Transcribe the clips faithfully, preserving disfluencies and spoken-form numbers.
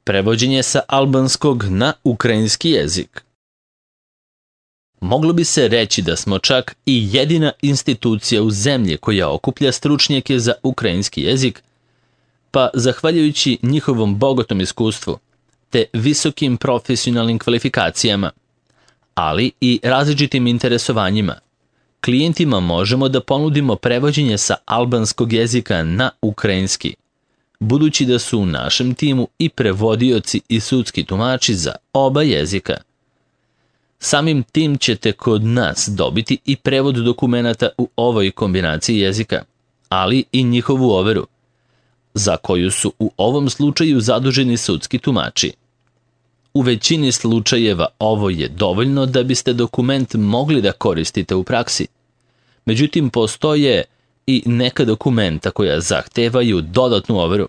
Prevođenje sa albanskog na ukrajinski jezik. Moglo bi se reći da smo čak i jedina institucija u zemlji koja okuplja stručnjake za ukrajinski jezik, pa zahvaljujući njihovom bogatom iskustvu te visokim profesionalnim kvalifikacijama, ali i različitim interesovanjima, klijentima možemo da ponudimo prevođenje sa albanskog jezika na ukrajinski, budući da su u našem timu i prevodioci i sudski tumači za oba jezika. Samim tim ćete kod nas dobiti i prevod dokumenata u ovoj kombinaciji jezika, ali i njihovu overu, za koju su u ovom slučaju zaduženi sudski tumači. U većini slučajeva ovo je dovoljno da biste dokument mogli da koristite u praksi. Međutim, postoje i neka dokumenta koja zahtevaju dodatnu overu,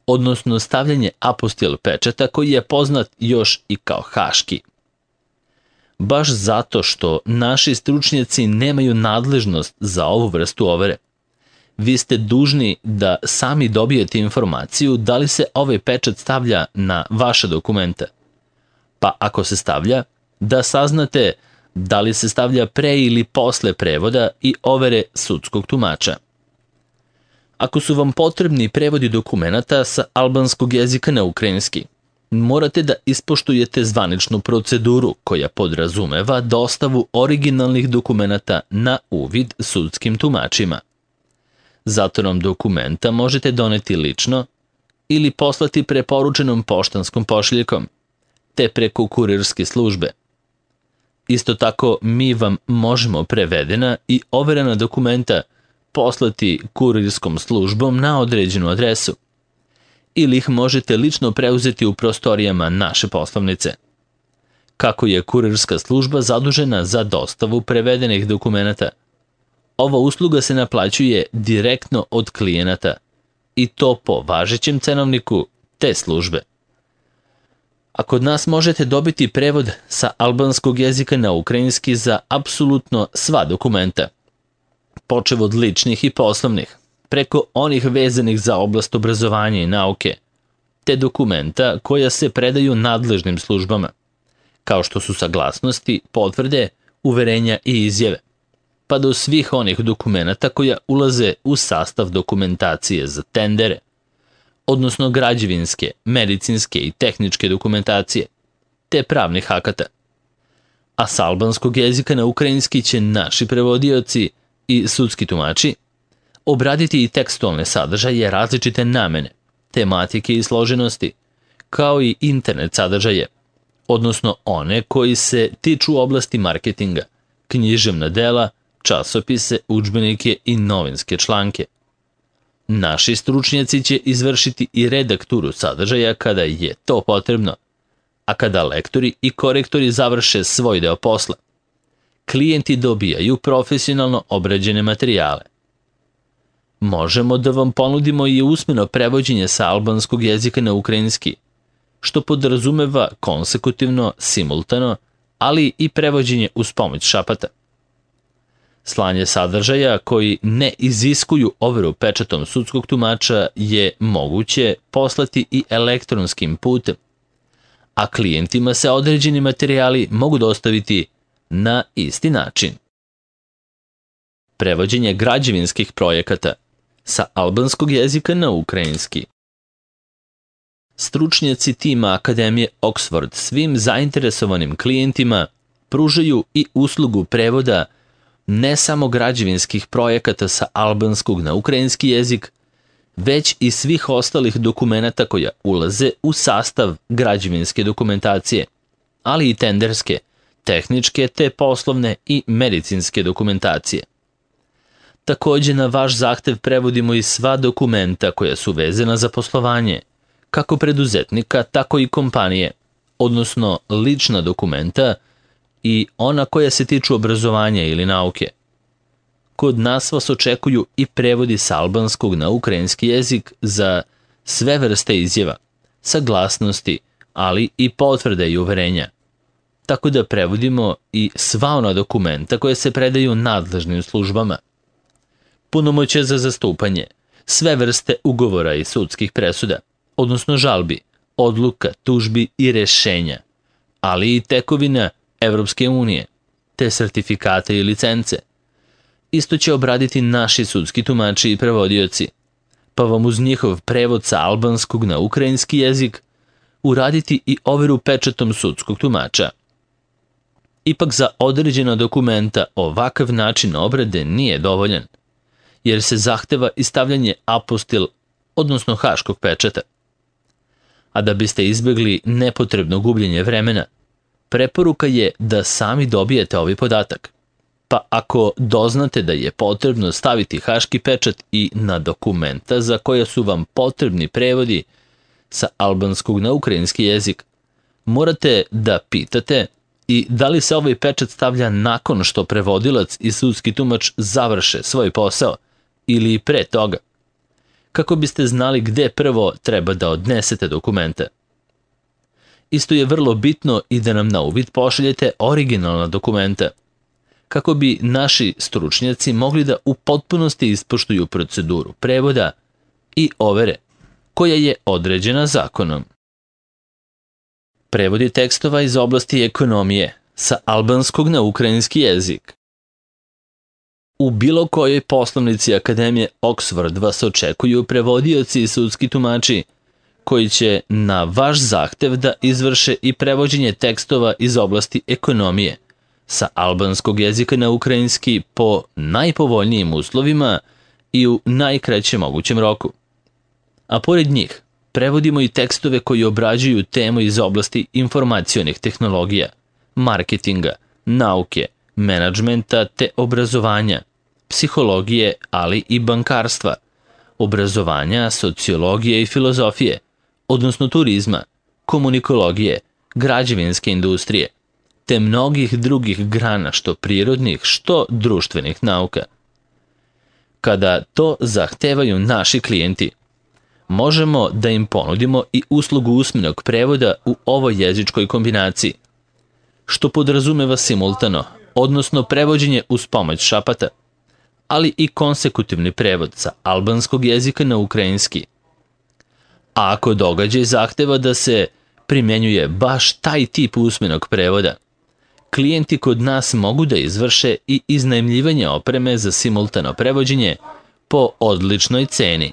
odnosno stavljanje apostil pečata koji je poznat još i kao haški. Baš zato što naši stručnjaci nemaju nadležnost za ovu vrstu overe, vi ste dužni da sami dobijete informaciju da li se ovaj pečat stavlja na vaša dokumenta. Pa ako se stavlja, da saznate da li se stavlja pre ili posle prevoda i overe sudskog tumača. Ako su vam potrebni prevodi dokumenata sa albanskog jezika na ukrajinski, morate da ispoštujete zvaničnu proceduru koja podrazumeva dostavu originalnih dokumenata na uvid sudskim tumačima. Zato nam dokumenta možete doneti lično ili poslati preporučenom poštanskom pošiljkom, te preko kurirske službe. Isto tako mi vam možemo prevedena i overena dokumenta poslati kurirskom službom na određenu adresu, ili ih možete lično preuzeti u prostorijama naše poslovnice. Kako je kurirska služba zadužena za dostavu prevedenih dokumenata, ova usluga se naplaćuje direktno od klijenata i to po važećem cenovniku te službe. A kod nas možete dobiti prevod sa albanskog jezika na ukrajinski za apsolutno sva dokumenta, počev od ličnih i poslovnih, preko onih vezanih za oblast obrazovanja i nauke, te dokumenta koja se predaju nadležnim službama, kao što su saglasnosti, potvrde, uverenja i izjave, pa do svih onih dokumenata koja ulaze u sastav dokumentacije za tendere, odnosno građevinske, medicinske i tehničke dokumentacije, te pravnih akata. A sa albanskog jezika na ukrajinski će naši prevodioci i sudski tumači obraditi i tekstualne sadržaje različite namene, tematike i složenosti, kao i internet sadržaje, odnosno one koji se tiču oblasti marketinga, književna dela, časopise, udžbenike i novinske članke. Naši stručnjaci će izvršiti i redakturu sadržaja kada je to potrebno, a kada lektori i korektori završe svoj deo posla, klijenti dobijaju profesionalno obrađene materijale. Možemo da vam ponudimo i usmeno prevođenje sa albanskog jezika na ukrajinski, što podrazumeva konsekutivno, simultano, ali i prevođenje uz pomoć šapata. Slanje sadržaja koji ne iziskuju overu pečatom sudskog tumača je moguće poslati i elektronskim putem, a klijentima se određeni materijali mogu dostaviti na isti način. Prevođenje građevinskih projekata sa albanskog jezika na ukrajinski. Stručnjaci tima Akademije Oxford svim zainteresovanim klijentima pružaju i uslugu prevoda ne samo građevinskih projekata sa albanskog na ukrajinski jezik, već i svih ostalih dokumenata koja ulaze u sastav građevinske dokumentacije, ali i tenderske, tehničke te poslovne i medicinske dokumentacije. Takođe na vaš zahtev prevodimo i sva dokumenta koja su vezana za poslovanje, kako preduzetnika, tako i kompanije, odnosno lična dokumenta i ona koja se tiču obrazovanja ili nauke. Kod nas vas očekuju i prevodi sa albanskog na ukrajinski jezik za sve vrste izjava, saglasnosti, ali i potvrde i uverenja. Tako da prevodimo i sva ona dokumenta koje se predaju nadležnim službama. Punomoćje za zastupanje, sve vrste ugovora i sudskih presuda, odnosno žalbi, odluka, tužbi i rešenja, ali i tekovina Evropske unije, te sertifikate i licence. Isto će obraditi naši sudski tumači i prevodioci, pa vam uz njihov prevod sa albanskog na ukrajinski jezik uraditi i overu pečatom sudskog tumača. Ipak za određena dokumenta ovakav način obrade nije dovoljan, jer se zahteva i stavljanje apostil, odnosno haškog pečata. A da biste izbjegli nepotrebno gubljenje vremena, preporuka je da sami dobijete ovaj podatak. Pa ako doznate da je potrebno staviti haški pečat i na dokumenta za koja su vam potrebni prevodi sa albanskog na ukrajinski jezik, morate da pitate i da li se ovaj pečat stavlja nakon što prevodilac i sudski tumač završe svoj posao ili pre toga, kako biste znali gde prvo treba da odnesete dokumente. Isto je vrlo bitno i da nam na uvid pošaljete originalna dokumenta, kako bi naši stručnjaci mogli da u potpunosti ispoštuju proceduru prevoda i overe koja je određena zakonom. Prevodi tekstova iz oblasti ekonomije sa albanskog na ukrajinski jezik. U bilo kojoj poslovnici Akademije Oxford vas očekuju prevodioci i sudski tumači koji će na vaš zahtev da izvrše i prevođenje tekstova iz oblasti ekonomije sa albanskog jezika na ukrajinski po najpovoljnijim uslovima i u najkraćem mogućem roku. A pored njih, prevodimo i tekstove koji obrađuju temu iz oblasti informacionih tehnologija, marketinga, nauke, menadžmenta te obrazovanja, psihologije, ali i bankarstva, obrazovanja, sociologije i filozofije, odnosno turizma, komunikologije, građevinske industrije, te mnogih drugih grana što prirodnih, što društvenih nauka. Kada to zahtevaju naši klijenti, možemo da im ponudimo i uslugu usmenog prevoda u ovoj jezičkoj kombinaciji, što podrazumeva simultano, odnosno prevođenje uz pomoć šapata, ali i konsekutivni prevod sa albanskog jezika na ukrajinski. A ako događaj zahteva da se primjenjuje baš taj tip usmenog prevoda, klijenti kod nas mogu da izvrše i iznajmljivanje opreme za simultano prevođenje po odličnoj ceni.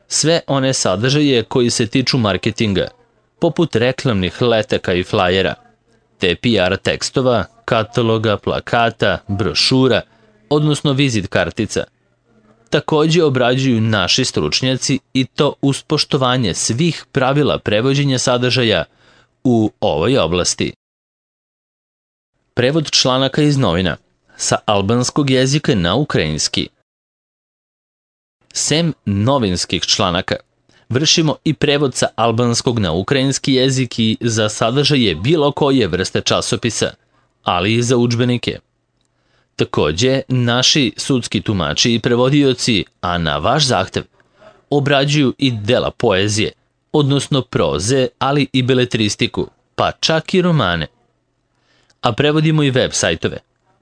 Sve one sadržaje koji se tiču marketinga, poput reklamnih letaka i flajera, te P R tekstova, kataloga, plakata, brošura, odnosno vizit kartica, također obrađuju naši stručnjaci i to uz poštovanje svih pravila prevođenja sadržaja u ovoj oblasti. Prevod članaka iz novina sa albanskog jezika na ukrajinski. Sem novinskih članaka, vršimo i prevod sa albanskog na ukrajinski jezik i za sadržaje bilo koje vrste časopisa, ali i za udžbenike. Također, naši sudski tumači i prevodioci, a na vaš zahtev, obrađuju i dela poezije, odnosno proze, ali i beletristiku, pa čak i romane. A prevodimo i web sajtove,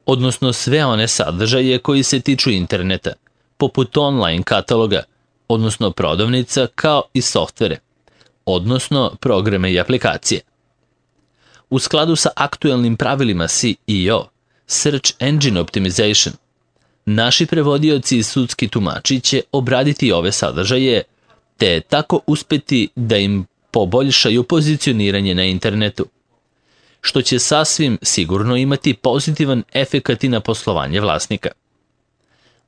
odnosno sve one sadržaje koji se tiču interneta, poput online kataloga, odnosno prodavnica, kao i softvere, odnosno programe i aplikacije. U skladu sa aktuelnim pravilima S E O, Search Engine Optimization, naši prevodioci i sudski tumači će obraditi ove sadržaje, te tako uspeti da im poboljšaju pozicioniranje na internetu, što će sasvim sigurno imati pozitivan efekat i na poslovanje vlasnika.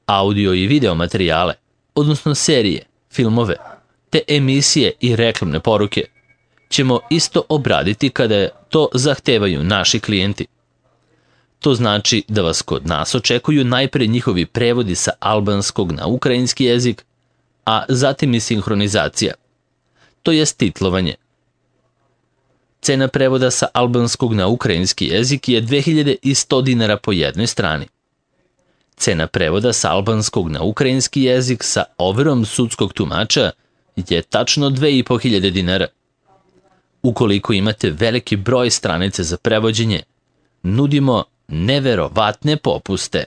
Audio i video materijale, odnosno serije, filmove, te emisije i reklamne poruke, ćemo isto obraditi kada to zahtevaju naši klijenti. To znači da vas kod nas očekuju najpre njihovi prevodi sa albanskog na ukrajinski jezik, a zatim i sinhronizacija, to jest titlovanje. Cena prevoda sa albanskog na ukrajinski jezik je dve hiljade sto dinara po jednoj strani. Cena prevoda sa albanskog na ukrajinski jezik sa overom sudskog tumača je tačno dve hiljade petsto dinara. Ukoliko imate veliki broj stranice za prevođenje, nudimo neverovatne popuste.